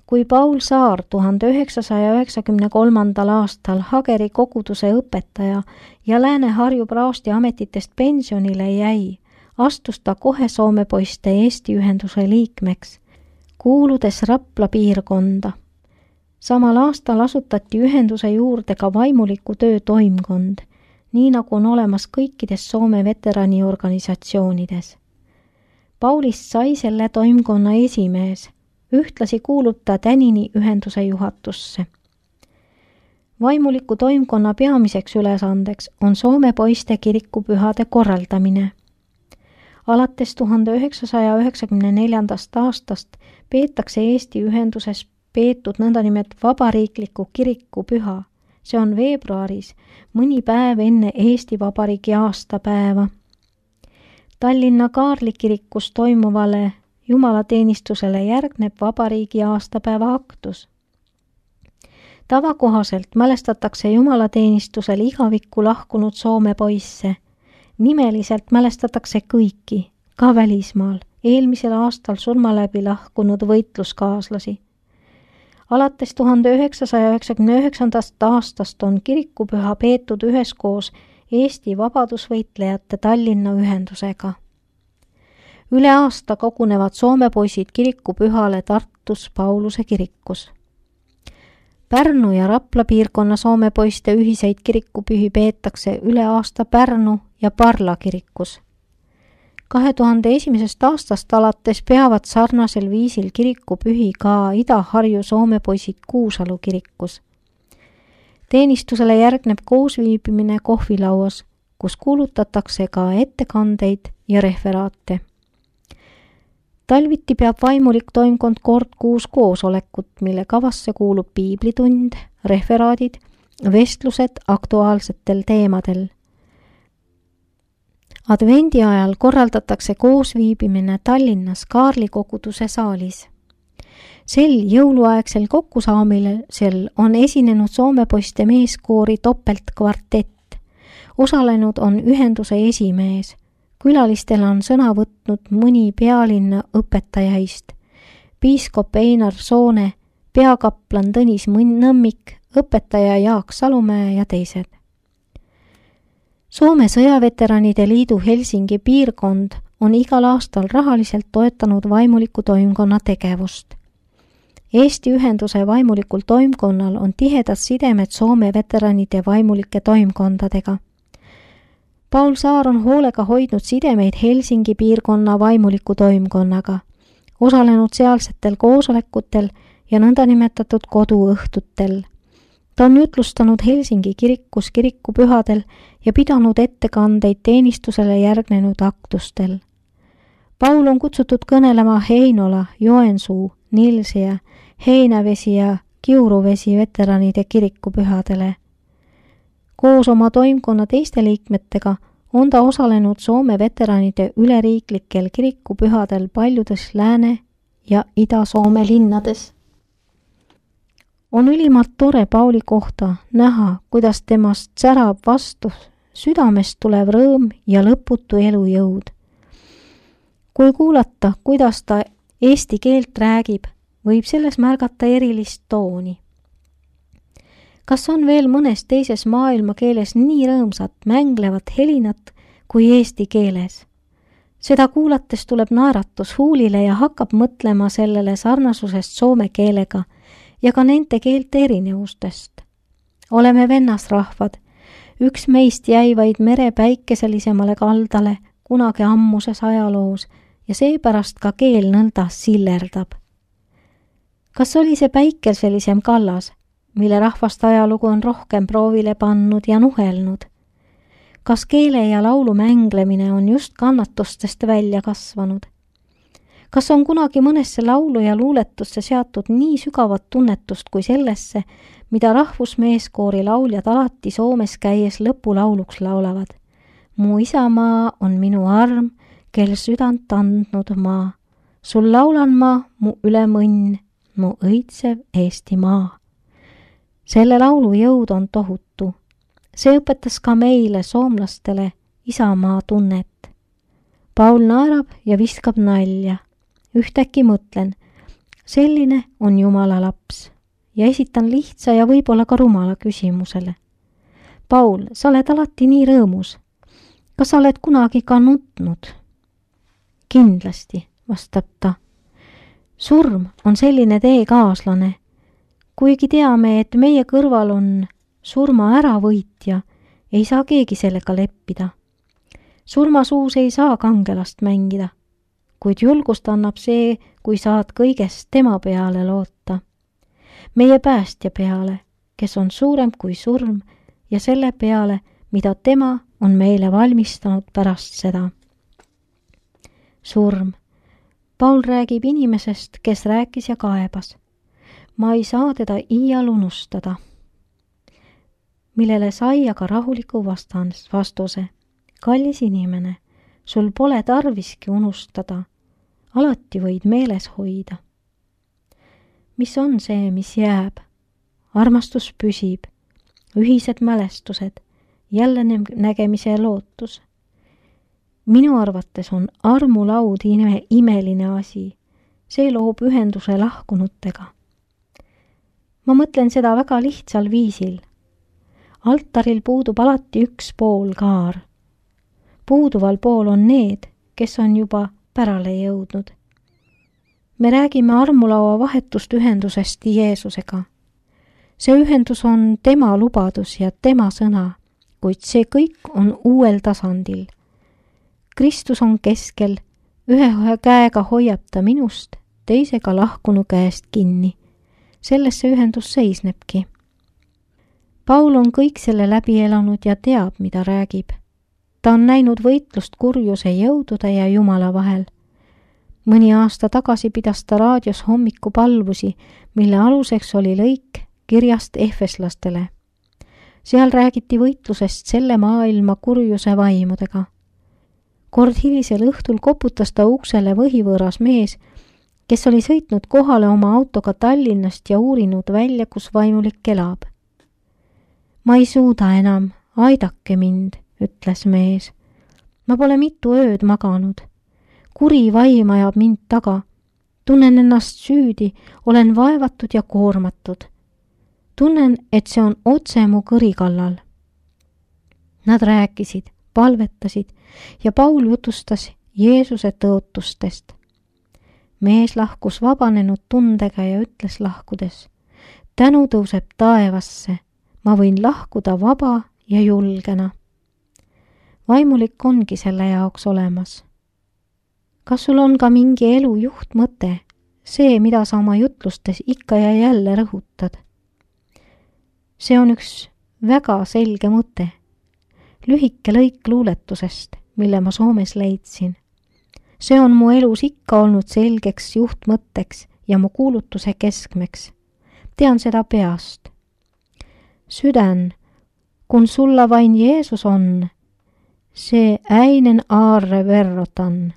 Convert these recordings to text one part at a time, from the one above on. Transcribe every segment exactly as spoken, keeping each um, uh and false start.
kui Paul Saar tuhande üheksasaja üheksakümne kolmandal aastal Hageri koguduse õpetaja ja Lääne-Harju praosti ametitest pensionile jäi, astus ta kohe Soome poiste Eesti ühenduse liikmeks, kuuludes Rapla piirkonda. Samal aastal asutati ühenduse juurde ka vaimuliku töö toimkond, nii nagu on olemas kõikides Soome veteraniorganisatsioonides. Paulist sai selle toimkonna esimees, ühtlasi kuulub ta tänini ühenduse juhatusse. Vaimuliku toimkonna peamiseks ülesandeks on Soome poiste kirikupühade korraldamine. Alates tuhande üheksasaja üheksakümne neljandast aastast peetakse Eesti ühenduses peetud nõndanimet vabariikliku kirikupüha. See on veebruaris, mõni päev enne Eesti Vabariigi aastapäeva. Tallinna Kaarli kirikus toimuvale jumalateenistusele järgneb vabariigi aastapäeva aktus. Tavakohaselt mälestatakse jumalateenistusel igavikku lahkunud Soome poisse. Nimeliselt mälestatakse kõiki, ka välismaal, eelmisel aastal surma läbi lahkunud võitluskaaslasi. Alates tuhande üheksasaja üheksakümne üheksandast aastast on kirikupüha peetud üheskoos Eesti vabadusvõitlejate Tallinna ühendusega. Üle aasta kogunevad Soome poisid kirikupühale Tartus Pauluse kirikus. Pärnu ja Rapla piirkonna Soome poiste ühiseid kirikupühi peetakse üle aasta Pärnu ja Parla kirikus. kahe tuhande esimesest aastast alates peavad sarnasel viisil kirikupühi ka Ida-Harju Soome poisid Kuusalu kirikus. Teenistusele järgneb koosviibimine kohvilauas, kus kuulutatakse ka ettekandeid ja referaate. Talviti peab vaimulik toimkond kord kuus koosolekut, mille kavasse kuulub piiblitund, referaadid, vestlused aktuaalsetel teemadel. Advendi ajal korraldatakse koosviibimine Tallinnas Kaarli koguduse saalis. Sel jõuluaegsel kokkusaamilisel on esinenud Soome poiste meeskoori topeltkvartett. Osalenud on ühenduse esimees. Külalistele on sõna võtnud mõni pealinna õpetajaist, piiskop Einar Soone, peakaplan Tõnis Nõmmik, õpetaja Jaak Salumäe ja teised. Soome sõjaveteranide liidu Helsingi piirkond on igal aastal rahaliselt toetanud vaimuliku toimkonna tegevust. Eesti ühenduse vaimulikul toimkonnal on tihedad sidemed Soome veteranide vaimulike toimkondadega. Paul Saar on hoolega hoidnud sidemeid Helsingi piirkonna vaimuliku toimkonnaga, osalenud sealsetel koosolekutel ja nõndanimetatud koduõhtutel. Ta on jutlustanud Helsingi kirikus kirikupühadel ja pidanud ettekandeid teenistusele järgnenud aktustel. Paul on kutsutud kõnelema Heinola, Joensuu, Nilsia, Heinävesi ja Kiuruvesi veteranide kirikupühadele. Koos oma toimkonna teiste liikmetega on ta osalenud Soome veteranide üleriiklikel kirikupühadel paljudes Lääne- ja Ida-Soome linnades. On ülimalt tore Pauli kohta näha, kuidas temast särab vastu südamest tulev rõõm ja lõputu elujõud. Kui kuulata, kuidas ta eesti keelt räägib, võib selles märgata erilist tooni. Kas on veel mõnes teises maailma keeles nii rõõmsat mänglevat helinat kui eesti keeles? Seda kuulates tuleb naeratus huulile ja hakkab mõtlema sellele sarnasusest soome keelega ja ka nende keelte erinevustest. Oleme vennasrahvad, üks meist jäi vaid mere päikeselisemale kaldale kunagi ammuses ajaloos ja seepärast ka keel nõnda sillerdab. Kas oli see päikeselisem kallas, mille rahvast ajalugu on rohkem proovile pannud ja nuhelnud? Kas keele ja laulu mänglemine on just kannatustest välja kasvanud? Kas on kunagi mõnesse laulu ja luuletusse seatud nii sügavat tunnetust kui sellesse, mida rahvusmeeskoori lauljad alati Soomes käies lõpulauluks laulavad? Mu isamaa on minu arm, kel südant andnud maa. Sul laulan ma, mu ülemõnn, mu õitsev Eestimaa. Selle laulu jõud on tohutu. See õpetas ka meile, soomlastele, isamaa tunnet. Paul naerab ja viskab nalja. Ühtäkki mõtlen, selline on Jumala laps ja esitan lihtsa ja võib-olla ka rumala küsimusele. Paul, sa oled alati nii rõõmus. Kas sa oled kunagi ka nutnud? Kindlasti, vastab ta. Surm on selline teekaaslane. Kuigi teame, et meie kõrval on surma äravõitja, ei saa keegi sellega leppida. Surmasuus ei saa kangelast mängida, kuid julgust annab see, kui saad kõigest tema peale loota. Meie päästja peale, kes on suurem kui surm ja selle peale, mida tema on meile valmistanud pärast seda. Surm. Paul räägib inimesest, kes rääkis ja kaebas. Ma ei saa teda iial unustada. Millele sai aga rahuliku vastuse. Kallis inimene, sul pole tarviski unustada. Alati võid meeles hoida. Mis on see, mis jääb? Armastus püsib, ühised mälestused, jälle nägemise lootus. Minu arvates on armulaud ime, imeline asi. See loob ühenduse lahkunutega. Ma mõtlen seda väga lihtsal viisil. Altaril puudub alati üks pool kaar. Puuduval pool on need, kes on juba pärale jõudnud. Me räägime armulaua vahetust ühendusest Jeesusega. See ühendus on tema lubadus ja tema sõna, kuid see kõik on uuel tasandil. Kristus on keskel, ühe käega hoiab ta minust, teisega lahkunu käest kinni. Selles see ühendus seisnebki. Paul on kõik selle läbi elanud ja teab, mida räägib. Ta on näinud võitlust kurjuse jõudude ja Jumala vahel. Mõni aasta tagasi pidas ta raadios hommikupalvusi, mille aluseks oli lõik kirjast ehveslastele. Seal räägiti võitlusest selle maailma kurjuse vaimudega. Kord hilisel õhtul koputas ta uksele võhivõõras mees, kes oli sõitnud kohale oma autoga Tallinnast ja uurinud välja, kus vaimulik elab. Ma ei suuda enam, aidake mind, ütles mees. Ma pole mitu ööd maganud. Kuri vaim ajab mind taga. Tunnen ennast süüdi, olen vaevatud ja koormatud. Tunnen, et see on otse mu kõri kallal. Nad rääkisid, palvetasid ja Paul jutustas Jeesuse tõotustest. Mees lahkus vabanenud tundega ja ütles lahkudes, tänu tõuseb taevasse, ma võin lahkuda vaba ja julgena. Vaimulik ongi selle jaoks olemas. Kas sul on ka mingi elu juhtmõte, see, mida sa oma jutlustes ikka ja jälle rõhutad? See on üks väga selge mõte. Lühike lõik luuletusest, mille ma Soomes leidsin. See on mu elus ikka olnud selgeks juhtmõtteks ja mu kuulutuse keskmeks. Tean seda peast. Sydän, kun sulla vain Jeesus on, see äinen aarre verrotan.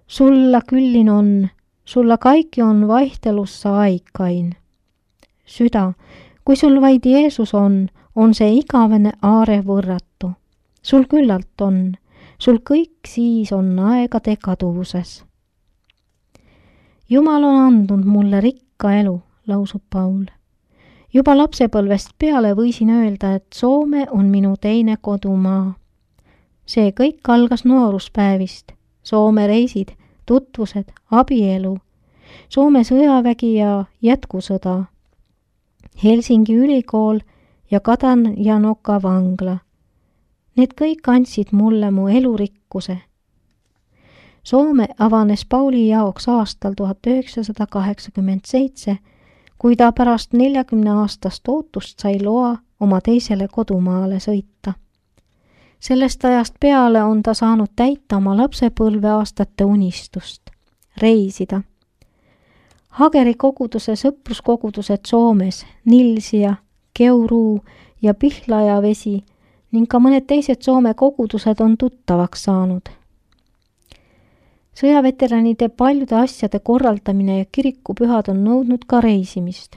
Sulla kyllin on, sulla kaikki on vaihtelussa aikain. Süda, kui sul vaid Jeesus on, on see igavene aare võrratu. Sul küllalt on, sul kõik siis on aegade kaduvuses. Jumal on andnud mulle rikka elu, lausub Paul. Juba lapsepõlvest peale võisin öelda, et Soome on minu teine kodumaa. See kõik algas nooruspäevist. Soome reisid, tutvused, abielu, Soome sõjavägi ja jätkusõda, Helsingi ülikool ja Kadanjanoka vangla. Need kõik andsid mulle mu elurikkuse. Soome avanes Pauli jaoks aastal tuhat üheksasada kaheksakümmend seitse, kui ta pärast neljakümne aastast ootust sai loa oma teisele kodumaale sõita. Sellest ajast peale on ta saanud täita oma lapsepõlve aastate unistust, reisida. Hageri koguduse sõpruskogudused Soomes, Nilsia, Keuruu ja Pihlaja vesi ning ka mõned teised Soome kogudused on tuttavaks saanud. Sõjaveteranide paljude asjade korraldamine ja kirikupühad on nõudnud ka reisimist.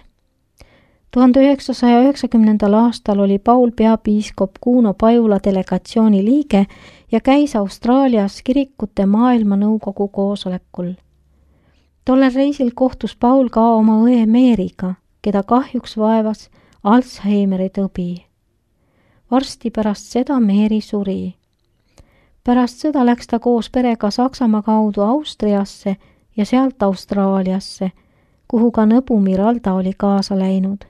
tuhande üheksasaja üheksakümnendal aastal oli Paul peapiiskop Kuno Pajula delegatsiooni liige ja käis Austraalias kirikute maailmanõukogu koosolekul. Tollel reisil kohtus Paul ka oma õe Meeriga, keda kahjuks vaevas Alzheimeri tõbi. Varsti pärast seda Meeri suri. Pärast sõda läks ta koos perega Saksamaa kaudu Austriasse ja sealt Austraaliasse, kuhu ka nõbu Miralda oli kaasa läinud.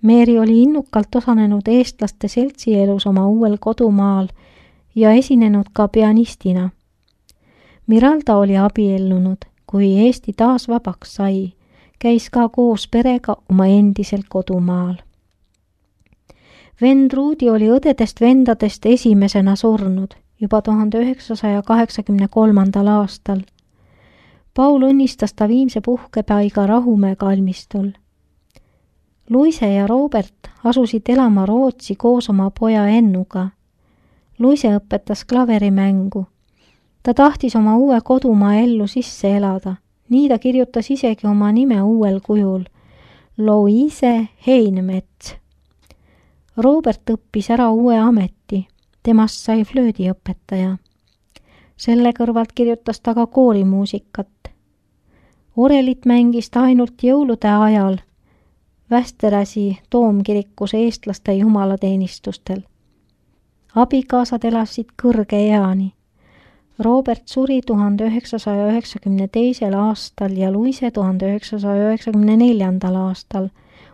Meeri oli innukalt osanenud eestlaste seltsielus oma uuel kodumaal ja esinenud ka pianistina. Miralda oli abiellunud, kui Eesti taas vabaks sai, käis ka koos perega oma endisel kodumaal. Vend Ruudi oli õdedest vendadest esimesena surnud juba tuhande üheksasaja kaheksakümne kolmandal aastal. Paul õnnistas ta viimse puhkepaiga Rahumäe kalmistul. Luise ja Robert asusid elama Rootsi koos oma poja Ennuga. Luise õpetas klaverimängu. Ta tahtis oma uue kodumaa ellu sisse elada. Nii ta kirjutas isegi oma nime uuel kujul. Louise Heinemets. Robert õppis ära uue ameti. Temast sai flöödiõpetaja. Selle kõrvalt kirjutas ta ka koorimuusikat. Orelit mängis ta ainult jõulude ajal Västeräsi toomkirikus eestlaste jumalateenistustel. Abikaasad elasid kõrge eani. Robert suri tuhande üheksasaja üheksakümne teisel aastal ja Luise tuhande üheksasaja üheksakümne neljandal aastal.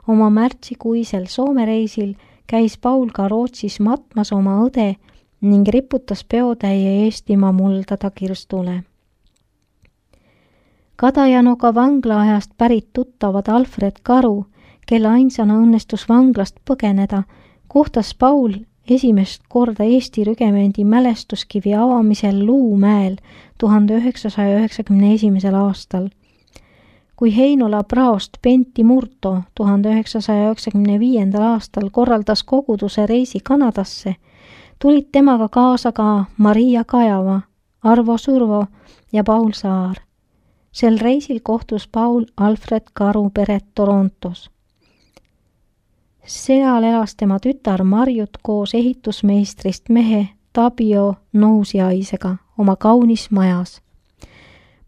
Oma märtsikuisel Soome reisil käis Paul ka Rootsis matmas oma õde ning riputas peotäie Eestimaa muldada kirstule. Kadajanoga vanglaajast pärit tuttavad Alfred Karu, kelle ainsana õnnestus vanglast põgeneda, kohtas Paul esimest korda Eesti rügemendi mälestuskivi avamisel Luumäel tuhande üheksasaja üheksakümne esimesel aastal. Kui Heinola praost Pentti Murto tuhande üheksasaja üheksakümne viiendal aastal korraldas koguduse reisi Kanadasse, tulid temaga kaasa ka Maria Kajava, Arvo Survo ja Paul Saar. Sel reisil kohtus Paul Alfred Karu peret Torontos. Seal elas tema tütar Marjut koos ehitusmeistrist mehe Tabio Nousiaisega oma kaunis majas.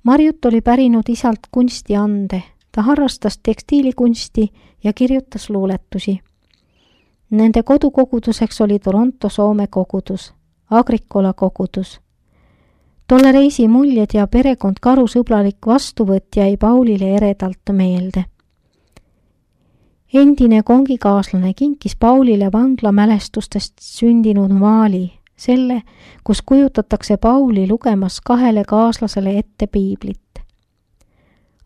Marjut oli pärinud isalt kunstiande, ta harrastas tekstiilikunsti ja kirjutas luuletusi. Nende kodukoguduseks oli Toronto Soome kogudus, Agricola kogudus. Tolle reisi muljed ja perekond Karu sõbralik vastuvõtt jäi Paulile eredalt meelde. Endine kongikaaslane kinkis Paulile vanglamälestustest sündinud maali, selle, kus kujutatakse Pauli lugemas kahele kaaslasele ette piiblit.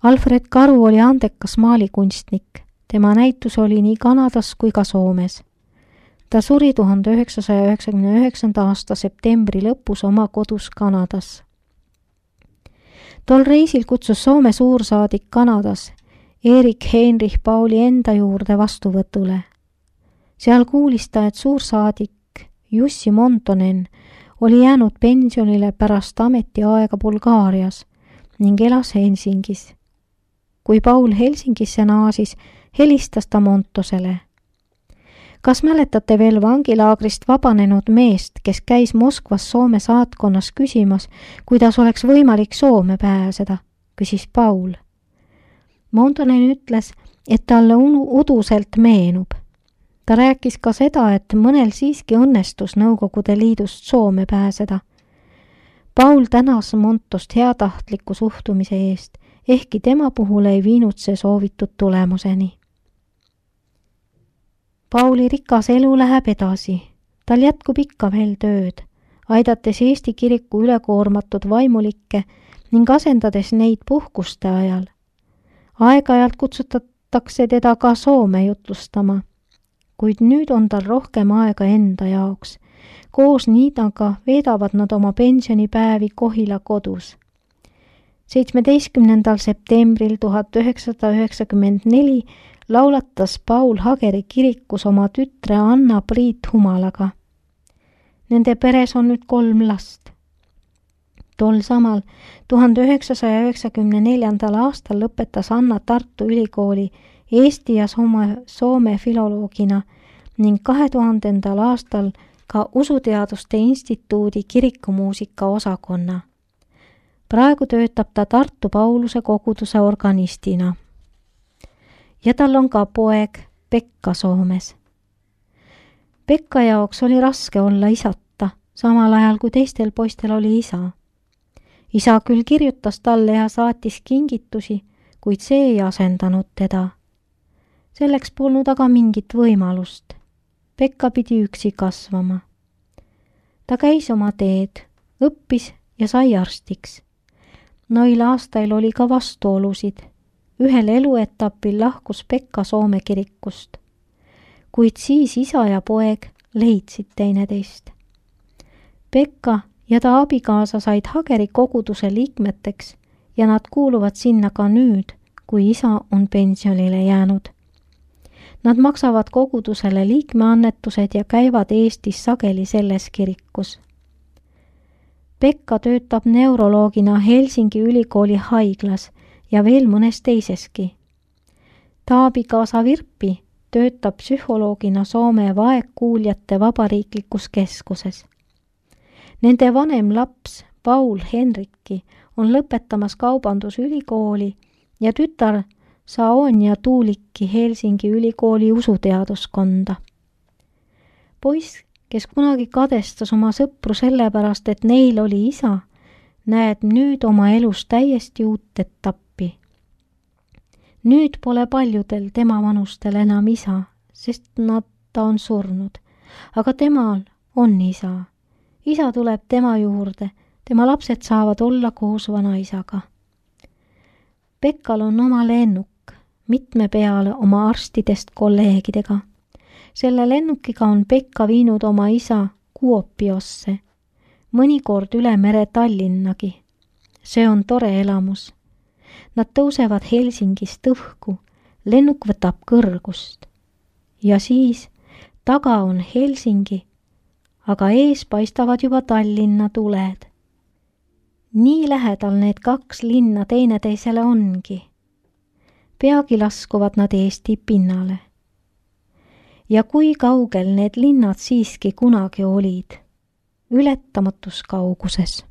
Alfred Karu oli andekas maalikunstnik, tema näitus oli nii Kanadas kui ka Soomes. Ta suri tuhande üheksasaja üheksakümne üheksanda aasta septembri lõpus oma kodus Kanadas. Tol reisil kutsus Soome suursaadik Kanadas Erik Heinrich Pauli enda juurde vastuvõtule. Seal kuulis ta, et suursaadik Jussi Montonen oli jäänud pensionile pärast ametiaega Bulgaarias ning elas Helsingis. Kui Paul Helsingisse naasis, helistas ta Montosele. Kas mäletate veel vangilaagrist vabanenud meest, kes käis Moskvas Soome saatkonnas küsimas, kuidas oleks võimalik Soome pääseda, küsis Paul. Montonen ütles, et talle uduselt meenub. Ta rääkis ka seda, et mõnel siiski õnnestus Nõukogude Liidust Soome pääseda. Paul tänas Montost heatahtliku suhtumise eest, ehkki tema puhul ei viinud see soovitud tulemuseni. Pauli rikas elu läheb edasi. Tal jätkub ikka veel tööd, aidates Eesti kiriku ülekoormatud vaimulikke ning asendades neid puhkuste ajal. Aeg-ajalt kutsutatakse teda ka Soome jutlustama, kuid nüüd on tal rohkem aega enda jaoks. Koos Niidaga veedavad nad oma pensionipäevi Kohila kodus. seitsmeteistkümnendal septembril tuhat üheksasada üheksakümmend neli laulatas Paul Hageri kirikus oma tütre Anna-Priit Humalaga. Nende peres on nüüd kolm last. Tol samal tuhande üheksasaja üheksakümne neljandal aastal lõpetas Anna Tartu Ülikooli Eesti ja Soome, Soome filoloogina ning kahe tuhandendal aastal ka Usuteaduste Instituudi kirikumuusika osakonna. praegu töötab ta Tartu Pauluse koguduse organistina. Ja tal on ka poeg Pekka Soomes. Pekka jaoks oli raske olla isata, samal ajal kui teistel poistel oli isa. Isa küll kirjutas talle ja saatis kingitusi, kuid see ei asendanud teda. Selleks polnud aga mingit võimalust. Pekka pidi üksi kasvama. Ta käis oma teed, õppis ja sai arstiks. Noil aastail oli ka vastuolusid. Ühel eluetapil lahkus Pekka Soome kirikust. Kuid siis isa ja poeg leidsid teineteist. Pekka ja ta abikaasa said Hageri koguduse liikmeteks ja nad kuuluvad sinna ka nüüd, kui isa on pensionile jäänud. Nad maksavad kogudusele liikmeannetused ja käivad Eestis sageli selles kirikus. Pekka töötab neuroloogina Helsingi ülikooli haiglas ja veel mõnes teiseski. Ta abikaasa Virpi töötab psühholoogina Soome vaegkuuljate vabariiklikus keskuses. Nende vanem laps Paul Henrikki on lõpetamas kaubandusülikooli ja tütar Saonia Tuulikki Helsingi ülikooli usuteaduskonda. Poiss, kes kunagi kadestas oma sõpru sellepärast, et neil oli isa, näed nüüd oma elus täiesti uut etappi. Nüüd pole paljudel tema vanustel enam isa, sest nad ta on surnud, aga temal on isa. Isa tuleb tema juurde, tema lapsed saavad olla koos vanaisaga. Pekkal on oma lennuk, mitme peale oma arstidest kolleegidega. Selle lennukiga on Pekka viinud oma isa Kuopiosse, mõnikord üle mere Tallinnagi. See on tore elamus. Nad tõusevad Helsingist õhku, lennuk võtab kõrgust. Ja siis taga on Helsingi, aga ees paistavad juba Tallinna tuled. Nii lähedal need kaks linna teineteisele ongi. Peagi laskuvad nad Eesti pinnale. Ja kui kaugel need linnad siiski kunagi olid, ületamatus kauguses.